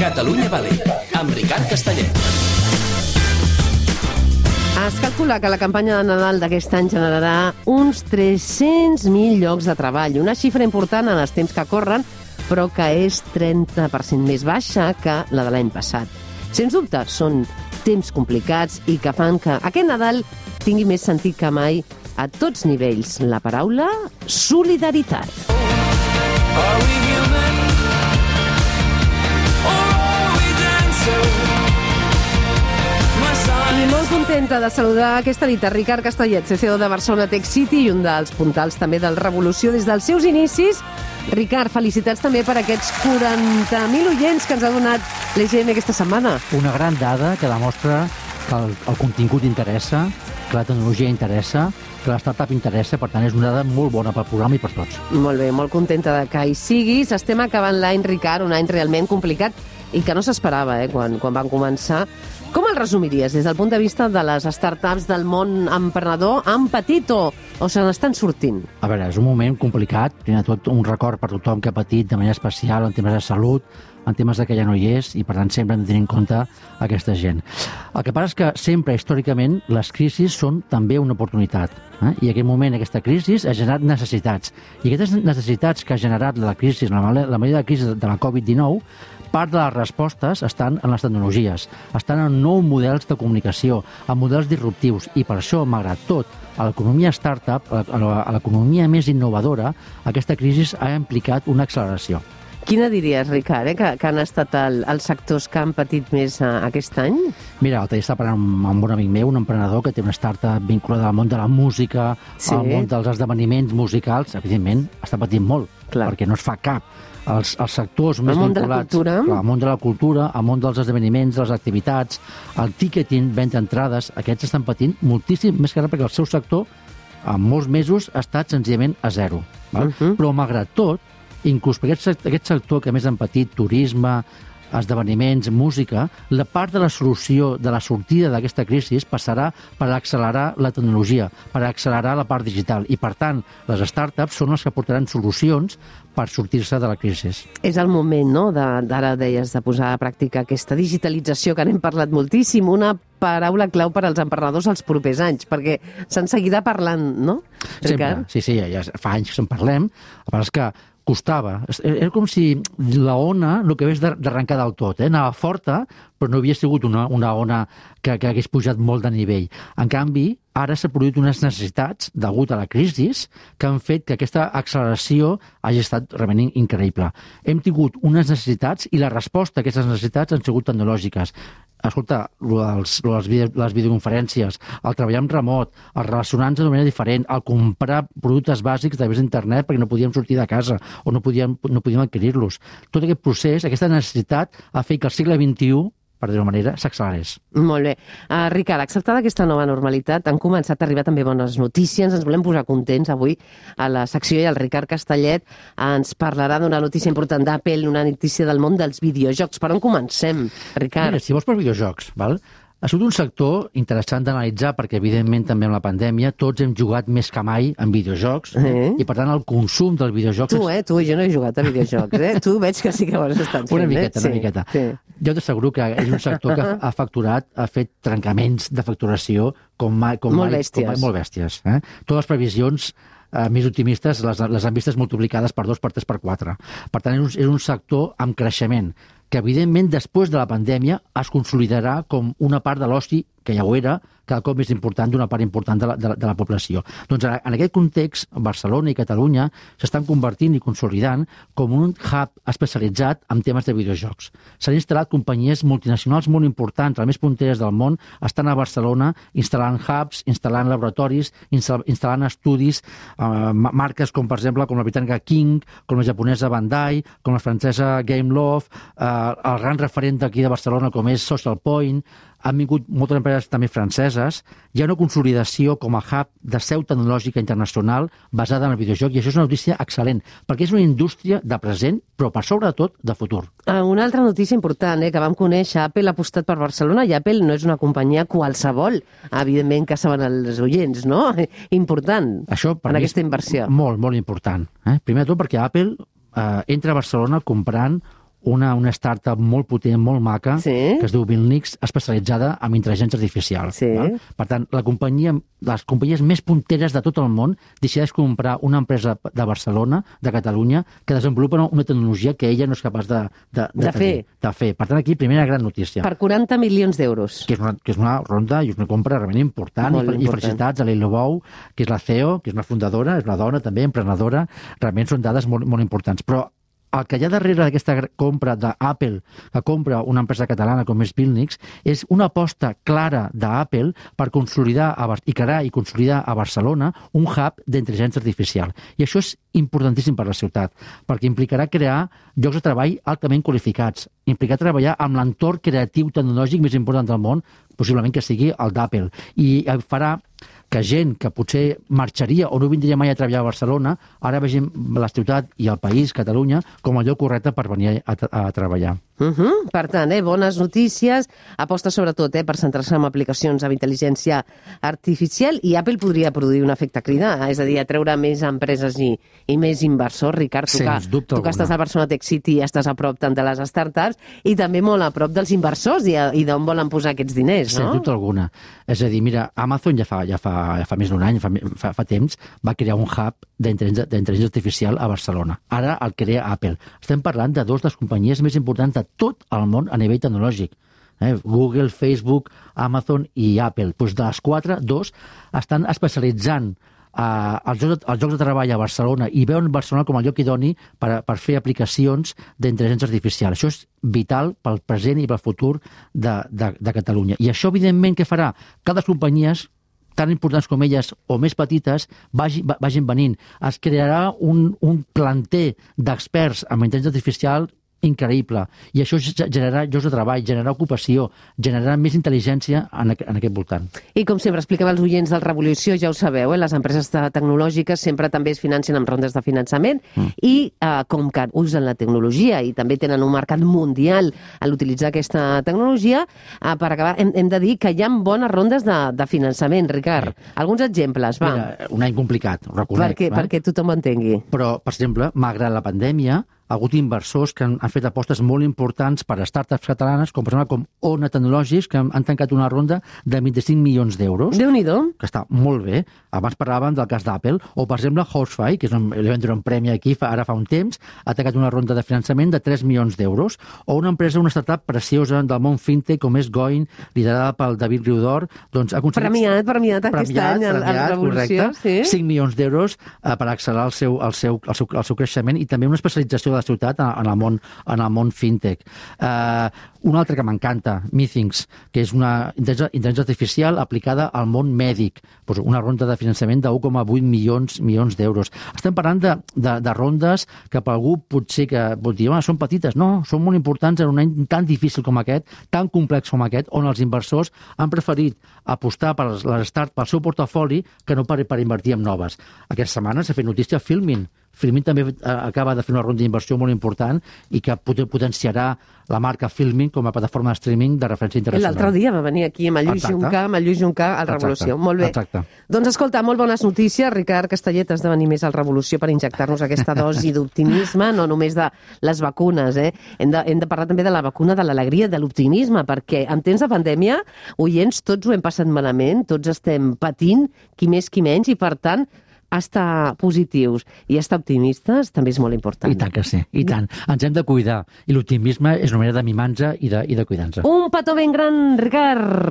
Catalunya Valley, amb Ricard Castellet. Es calcula que la campanya de Nadal d'aquest any generarà uns 300.000 llocs de treball, una xifra important en els temps que corren, però que és 30% més baixa que la de l'any passat. Sens dubte, són temps complicats i que fan que aquest Nadal tingui més sentit que mai a tots nivells. La paraula solidaritat. I molt contenta de saludar aquesta nit a Ricard Castellet, CCO de Barcelona Tech City i un dels puntals també del Revolució des dels seus inicis. Ricard, felicitats també per aquests 40.000 oients que ens ha donat l'EGM aquesta setmana. Una gran dada que demostra que el contingut interessa, que la tecnologia interessa, que la startup interessa, per tant és una dada molt bona pel programa i per tots. Molt bé, molt contenta de que hi siguis. Estem acabant l'any, Ricard, un any realment complicat i que no s'esperava quan van començar. Com el resumiries des del punt de vista de les startups del món emprenedor? Han patit o se n'estan sortint? A veure, és un moment complicat, primer de tot un record per tothom que ha patit de manera especial en temes de salut, en temes que ja no hi és, i per tant sempre hem de tenir en compte aquesta gent. El que passa és que sempre, històricament, les crisis són també una oportunitat. I en aquest moment, aquesta crisi ha generat necessitats. I aquestes necessitats que ha generat la crisi, la majoria de crisis de la Covid-19, part de les respostes estan en les tecnologies, estan en nous models de comunicació, en models disruptius, i per això, malgrat tot, a l'economia startup, a l'economia més innovadora, aquesta crisi ha implicat una acceleració. Quina diries, Ricard, que han estat els sectors que han patit més aquest any? Mira, l'altre dia estava parlant amb un amic meu, un emprenedor que té una startup vinculada al món de la música, al món dels esdeveniments musicals. Evidentment, està patint molt, perquè no es fa cap. Els sectors més vinculats al món de la cultura, al món dels esdeveniments, de les activitats, el ticketing, venda entrades, aquests estan patint moltíssim, més que res perquè el seu sector en molts mesos ha estat senzillament a zero. Però malgrat tot, inclús per aquest sector que més han patit, turisme, esdeveniments, música, la part de la solució, de la sortida d'aquesta crisi passarà per accelerar la tecnologia, per accelerar la part digital. I, per tant, les startups són les que portaran solucions per sortir-se de la crisi. És el moment, no?, d'ara deies, de posar a pràctica aquesta digitalització que n'hem parlat moltíssim, una paraula clau per als emprenedors els propers anys, perquè se'n seguirà parlant, no, Ricard? Sempre, sí, ja fa anys que se'n parlem, però és que costava. Era com si la ona no acabés d'arrencar del tot. Anava forta, però no havia sigut una ona que hagués pujat molt de nivell. En canvi, ara s'ha produït unes necessitats, degut a la crisi, que han fet que aquesta acceleració hagi estat realment increïble. Hem tingut unes necessitats i la resposta a aquestes necessitats han sigut tecnològiques. Escolta, les videoconferències, el treballar en remot, el relacionar-nos de manera diferent, el comprar productes bàsics a través d'internet perquè no podíem sortir de casa o no podíem adquirir-los. Tot aquest procés, aquesta necessitat, ha fet que el segle XXI, per dir-ho manera, s'accelerés. Molt bé. Ricard, acceptada aquesta nova normalitat, han començat a arribar també bones notícies. Ens volem posar contents avui a la secció i el Ricard Castellet ens parlarà d'una notícia important d'Apple, una notícia del món dels videojocs. Per on comencem, Ricard? Mira, si vols per videojocs, val? Ha sigut un sector interessant d'analitzar perquè, evidentment, també amb la pandèmia tots hem jugat més que mai en videojocs i, per tant, el consum dels videojocs... Tu, jo no he jugat a videojocs, Tu veig que sí que ho has estat fent. Una miqueta. Sí. Jo t'asseguro que és un sector que ha facturat, ha fet trencaments de facturació molt bèsties. Totes les previsions més optimistes les han vistes multiplicades per 2, per 3, per 4. Per tant, és un sector amb creixement que, evidentment, després de la pandèmia es consolidarà com una part de l'oci, que ja ho era, cada cop més important d'una part important de la població. Doncs en aquest context, Barcelona i Catalunya s'estan convertint i consolidant com un hub especialitzat en temes de videojocs. S'han instal·lat companyies multinacionals molt importants, les més punteres del món, estan a Barcelona instal·lant hubs, instal·lant laboratoris, instal·lant estudis, marques com, per exemple, com la britànica King, com la japonesa Bandai, com la francesa Gameloft, el gran referent d'aquí de Barcelona com és Social Point. Han vingut moltes empreses també franceses. Hi ha una consolidació com a hub de seu tecnològica internacional basada en el videojoc, i això és una notícia excel·lent, perquè és una indústria de present, però per sobretot de futur. Una altra notícia important que vam conèixer, Apple ha apostat per Barcelona, i Apple no és una companyia qualsevol, evidentment que saben els oients, no? Important, això, en aquesta inversió. Molt, molt important. Primer de tot perquè Apple entra a Barcelona comprant una startup molt potent, molt maca, Sí. que es diu Vilnix, especialitzada en intel·ligència artificial. Sí. Val? Per tant, les companyies més punteres de tot el món decideix comprar una empresa de Barcelona, de Catalunya, que desenvolupa una tecnologia que ella no és capaç de fer. Per tant, aquí, primera gran notícia. Per 40 milions d'euros. Que és una ronda i una compra realment important. Molt I felicitats a l'Eilo Bou, que és la CEO, que és una fundadora, és una dona també, emprenedora. Realment són dades molt, molt importants. Però el que hi ha darrere d'aquesta compra d'Apple, que compra una empresa catalana com és Vilnix, és una aposta clara d'Apple per consolidar i crear i consolidar a Barcelona un hub d'intel·ligència artificial. I això és importantíssim per a la ciutat, perquè implicarà crear llocs de treball altament qualificats, implicarà treballar amb l'entorn creatiu tecnològic més important del món, possiblement que sigui el d'Apple, i farà que gent que potser marxaria o no vindria mai a treballar a Barcelona, ara vegem la ciutat i el país, Catalunya, com el lloc correcte per venir a treballar. Per tant, bones notícies, aposta sobretot per centrar-se en aplicacions amb intel·ligència artificial, i Apple podria produir un efecte cridar, és a dir, atreure més empreses i més inversors. Ricard, tu que estàs al Barcelona Tech City, estàs a prop tant de les startups i també molt a prop dels inversors i d'on volen posar aquests diners, no? Sens dubte alguna. És a dir, mira, Amazon ja fa més d'un any, fa temps, va crear un hub d'intel·ligència artificial a Barcelona. Ara el crea Apple. Estem parlant de dues de les companyies més importants de tot el món a nivell tecnològic. Google, Facebook, Amazon i Apple. Doncs de les quatre, dos estan especialitzant els llocs de treball a Barcelona i veuen Barcelona com el lloc idoni per fer aplicacions d'intel·ligència artificial. Això és vital pel present i pel futur de Catalunya. I això, evidentment, què farà? Que les companyies tan importants com elles o més petites vagin venint. Es crearà un planter d'experts en intel·ligència artificial increïble. I això generarà llocs de treball, generarà ocupació, generarà més intel·ligència en aquest voltant. I com sempre expliquem als oients del Revolució, ja ho sabeu, les empreses tecnològiques sempre també es financen amb rondes de finançament i com que usen la tecnologia i també tenen un mercat mundial a l'utilitzar aquesta tecnologia, per acabar hem de dir que hi ha bones rondes de finançament, Ricard. Alguns exemples, va. Mira, un any complicat, ho reconec. Perquè tothom ho entengui. Però, per exemple, malgrat la pandèmia, ha hagut inversors que han fet apostes molt importants per a startups catalanes, com per exemple com Ona Tecnològics, que han tancat una ronda de 25 milions d'euros. Déu-n'hi-do. Que està molt bé. Abans parlàvem del cas d'Apple. O, per exemple, Horsefly, que li van donar un premi aquí ara fa un temps, ha tancat una ronda de finançament de 3 milions d'euros. O una empresa, una startup preciosa del món fintech, com és Going, liderada pel David Riudor, doncs ha aconseguit... Premiat aquest any a la Revolució. Correcte, 5 milions d'euros per accelerar el seu creixement i també una especialització de la ciutat en el món fintech. Un altre que m'encanta, Meetings, que és una intel·ligència artificial aplicada al món mèdic. Pues una ronda de finançament de 1,8 milions d'euros. Estem parlant de rondes que per algú potser que pot dir, són petites. No, són molt importants en un any tan difícil com aquest, tan complex com aquest, on els inversors han preferit apostar per les startups, pel seu portafoli, que no per invertir en noves. Aquesta setmana s'ha fet notícia Filmin. Filmin també acaba de fer una ronda d'inversió molt important i que potenciarà la marca Filmin com a plataforma de streaming de referència internacional. L'altre dia va venir aquí amb el Lluís Juncà al Revolució. Molt bé. Exacte. Doncs escolta, molt bones notícies. Ricard Castellet, has de venir més al Revolució per injectar-nos aquesta dosi d'optimisme, no només de les vacunes. Hem de parlar també de la vacuna de l'alegria, de l'optimisme, perquè en temps de pandèmia, oients, tots ho hem passat malament, tots estem patint, qui més, qui menys, i per tant, estar positius i estar optimistes també és molt important. I tant que sí, i tant. Ens hem de cuidar. I l'optimisme és una manera de mimar-nos i de cuidar-nos. Un petó ben gran, Ricard!